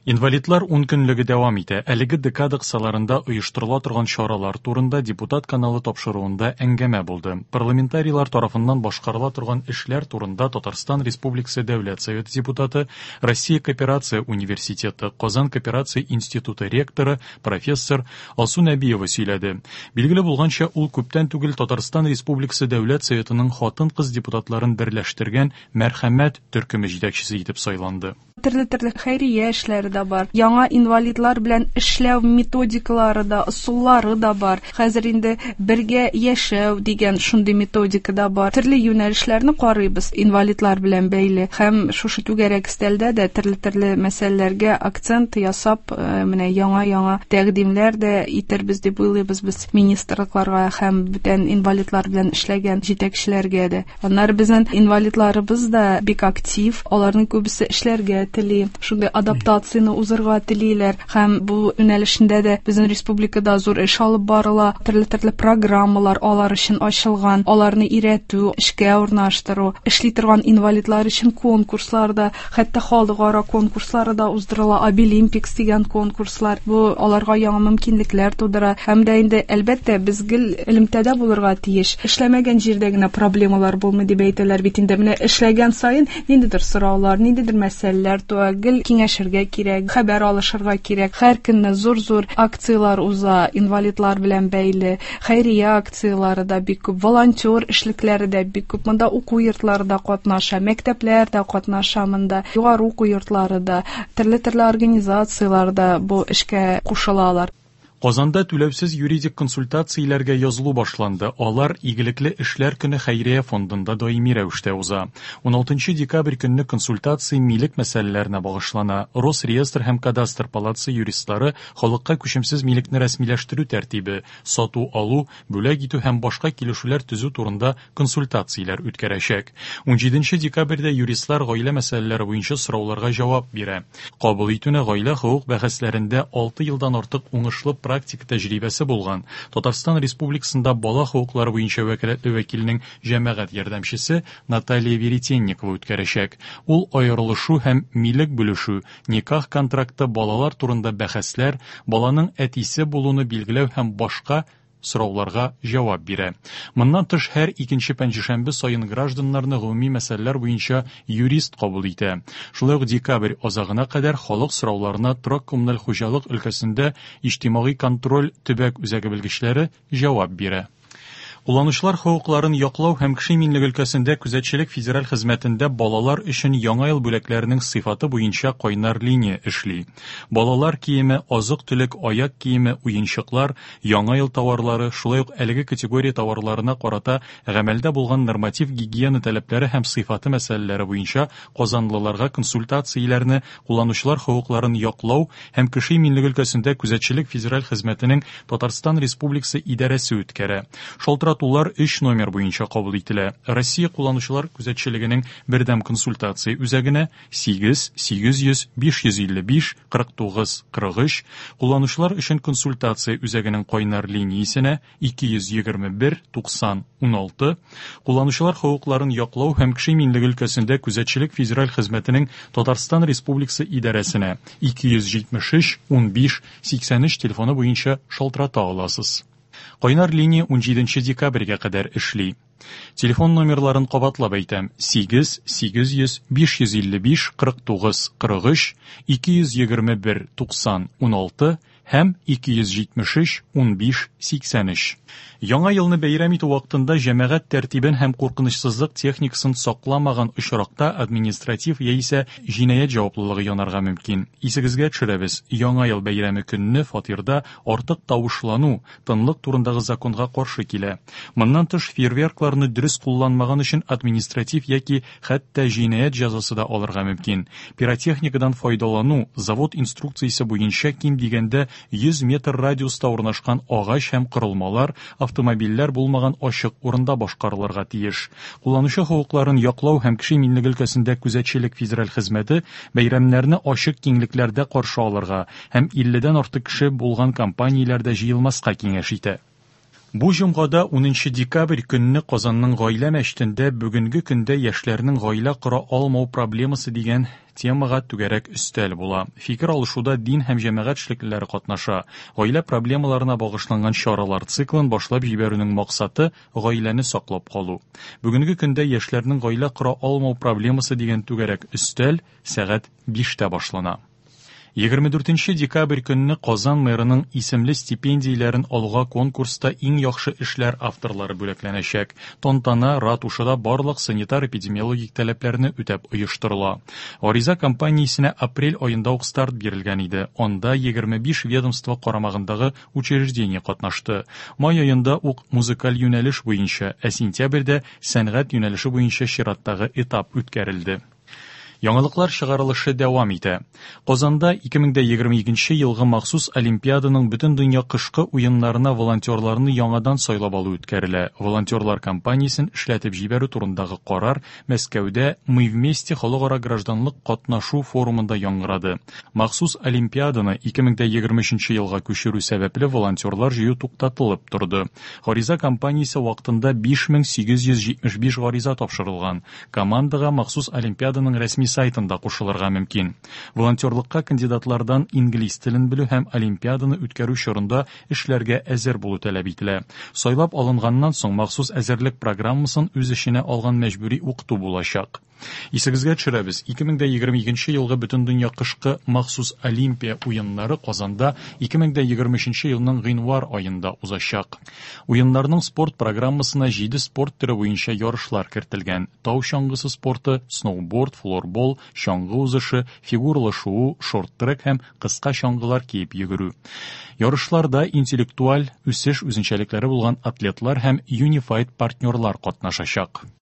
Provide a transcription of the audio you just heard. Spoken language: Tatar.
Инвалидлар ункөнлеге дәвам итә. Әлеге декада кысаларында оештырыла торган чаралар турында Депутат каналы тапшыруында әңгәмә булды. Парламентарийлар тарафыннан башкарыла торган эшләр турында Татарстан Республикасы Дәүләт Советы депутаты, Россия кооперация университеты, Казан кооперация институты ректоры, профессор Алсу Нәбиева сөйләде. Билгеле булганча, ул күптән түгел Татарстан Республикасы Дәүләт Советының хатын-кыз депутатларын берләштергән Мәрхәмәт төркеме җитәкчесе итеп сайланды. Төрле-төрле хәйрия эшләре дә бар. Яңа инвалидлар белән эшләү методикалары да, ысуллары да бар. Хәзер инде бергә яшәү дигән шундый методика да бар. Төрле юнәлешләрне карыйбыз инвалидлар белән бәйле. Һәм шушы түгәрәк өстәлдә дә төрле-төрле мәсьәләләргә акцент ясап, менә яңа-яңа тәкъдимнәр дә итербез дип уйлыйбыз без министрлыкларга һәм бүтән инвалидлар белән эшләгән җитәкчеләргә дә. Аннары безнең инвалидларыбыз да бик актив, аларның күбесе эшләргә тели, шундый адаптацияне узырга телиләр һәм бу юнәлешендә дә безнең республикада зур эш алып барыла, төрле-төрле программалар алар өчен ачылган, аларны өйрәтү, эшкә урнаштыру, эшли торган инвалидлар өчен конкурслар да, хәтта халыкара конкурслары да уздырыла, Абилимпикс дигән конкурслар. Бу аларга яңа мөмкинлекләр тудыра. Һәм дә инде, әлбәттә, без гел элемтәдә булырга тиеш. Эшләмәгән җирдә генә проблемалар булмый дип әйтәләр бит инде. Менә эшләгән саен ниндидер сораулар, ниндидер мәсьәләләр туа, гел киңәшергә кирәк, хәбәр алышырга кирәк. Һәр көнне зур-зур акцияләр уза, инвалидлар белән бәйле, хәйрия акцияләре дә бик күп, волонтер эшлекләре дә бик күп. Монда уку йортлары да катнаша, мәктәпләр дә катнаша монда, югары уку йортлары да, төрле-төрле организацияләр дә бу эшкә кушылалар. Казанда түләүсез юридик консультацияләргә язылу башланды. Алар Игелекле эшләр көне хәйрия фондында даими рәвештә уза. 16 декабрь көнне консультация милек мәсьәләләренә багышлана. Росреестр һәм Кадастр палатасы юристлары халыкка күчемсез милекне рәсмиләштерү тәртибе, сату-алу, бүләк итү һәм башка килешүләр төзү турында консультацияләр үткәрәчәк. 17 декабрьдә юристлар гаилә мәсьәләләре буенча сорауларга җавап бирә. Кабул итүне гаилә хокук бәхәсләрендә 6 елдан артык уңышлы практика тәҗрибәсе булган Татарстан Республикасында бала хокуклары буенча вәкаләтле вәкилнең җәмәгать ярдәмчесе Наталья Веретенникова үткәрәчәк. Ул аерылышу һәм милек бүлешү, никах контракты, балалар турында бәхәсләр, баланың әтисе булуны билгеләү һәм башка сорауларга җавап бирә. Моннан тыш, һәр икенче пәнҗешәмбе саен гражданнарны гомуми мәсьәләләр буенча юрист кабул итә. Шулай ук декабрь азагына кадәр халык сорауларына торак-коммуналь хуҗалык өлкәсендә иҗтимагый контроль төбәк үзәге белгечләре җавап бирә. Кулланучылар хокукларын яклау һәм кеше иминлеге өлкәсендә күзәтчелек федераль хезмәтендә балалар өчен Яңа ел бүләкләренең сыйфаты буенча кайнар линия эшли. Балалар киеме, азык-төлек, аяк киеме, уенчыклар, Яңа ел товарлары, шулай ук әлеге категория товарларына карата гамәлдә булган норматив гигиена таләпләре һәм сыйфаты мәсьәләләре буенча казанлыларга консультацияләрне кулланучылар хокукларын яклау һәм кеше иминлеге өлкәсендә күзәтчелек федераль хезмәтенең Татарстан Республикасы идарәсе үткәрә. Шалтыратулар өч номер буенча кабул ителә. Россия кулланучылар күзәтчелегенең бердәм консультация үзәгенә 8 800 555 49 43, кулланучылар өчен консультация үзәгенең кайнар линиясенә 221 90 16, кулланучылар хокукларын яклау һәм кеше иминлеге өлкәсендә күзәтчелек федераль хезмәтенең Татарстан Республикасы идарәсенә 273 15 83 телефоны буенча шалтырата аласыз. Кайнар линия 17 декабрьгә кадәр эшли. Телефон номерларын кабатлап әйтәм: 8 800 555 49 43, 221 90 16 һәм 273 15 83. Яңа елны бәйрәм итү вакытында җәмәгать тәртибен һәм куркынычсызлык техникасын сакламаган очракта административ яисә җинаять җаваплылыгы янарга мөмкин. Исегезгә төшерәбез, Яңа ел бәйрәме көнне фатирда артык тавышлану, тынлык турындагы законга каршы килә. Моннан тыш, фейерверкларны дөрес кулланмаган өчен административ яки хәтта җинаять җәзасы да алырга мөмкин. Пиротехникадан файдалану завод инструкциясе буенча ким дигәндә 100 метр радиуста урнашкан агач һәм корылмалар, автомобильләр булмаган ачык урында башкарылырга тиеш. Кулланучы хокукларын яклау һәм кеше иминлеге өлкәсендә күзәтчелек федераль хезмәте бәйрәмнәрне ачык киңлекләрдә каршы алырга һәм 50 дән артык кеше булган компанияләрдә җыелмаска киңәш итә. Бу җомгада 10 декабрь көнне Казанның Гаилә мәчетендә бүгенге көндә яшьләрнең гаилә кора алмау проблемасы дигән темага түгәрәк өстәл була. Фикер алышуда дин һәм җәмәгать эшлеклеләре катнаша. Гаилә проблемаларына багышланган чаралар циклын башлап җибәрүнең максаты гаиләне саклап калу. Бүгенге көндә яшьләрнең гаилә кора алмау проблемасы дигән түгәрәк өстәл сәгать 5тә башлана. 24 декабрь көнне Казан мэрының исемле стипендияләрен алуга конкурста иң яхшы эшләр авторлары бүләкләнәчәк. Тантана ратушада барлык санитар-эпидемиологик таләпләрне үтәп оештырыла. Гариза кампаниясенә апрель аенда ук старт бирелгән иде. Анда 25 ведомство карамагындагы учреждение катнашты. Май аенда ук музыкаль юнәлеш буенча, ә сентябрьдә сәнгать юнәлеше буенча чираттагы этап үткәрелде. Яңалыклар чыгарылышы дәвам итә. Казанда 2022 елгы махсус Олимпиаданың бөтендөнья кышкы уеннарына волонтерларны яңадан сайлап алу үткәрелә. Волонтерлар кампаниясен эшләтеп җибәрү турындагы карар Мәскәүдә Мы вместе халыкара гражданлык катнашу форумында яңгырады. Махсус Олимпиаданы 2023 елга күчерү сәбәпле волонтерлар җыю туктатылып торды. Гариза кампаниясе вакытында 5875 гариза тапшырылган. Командага махсус Олимпиаданың рәсми сайтында кушылырга мөмкин. Волонтерлыкка кандидатлардан инглиз телен белү һәм Олимпиаданы үткәрү чорында эшләргә әзер булу таләп ителә. Сайлап алынганнан соң махсус әзерлек программасын үз эченә алган мәҗбүри укыту булачак. Исегезгә төшерәбез, 2022 елгы Бөтендөнья кышкы махсус Олимпия уеннары Казанда 2023 елның гыйнвар аенда узачак. Уеннарның спорт программасына 7 спорт төре буенча ярышлар кертелгән. Тау чаңгысы спорты, сноуборд, флорбол, чаңгы узышы, фигуралы шуу, шорт-трек һәм кыска чаңгылар киеп йөгерү. Ярышларда интеллектуаль үсеш үзенчәлекләре булган атлетлар һәм юнифайд партнерлар катнашачак.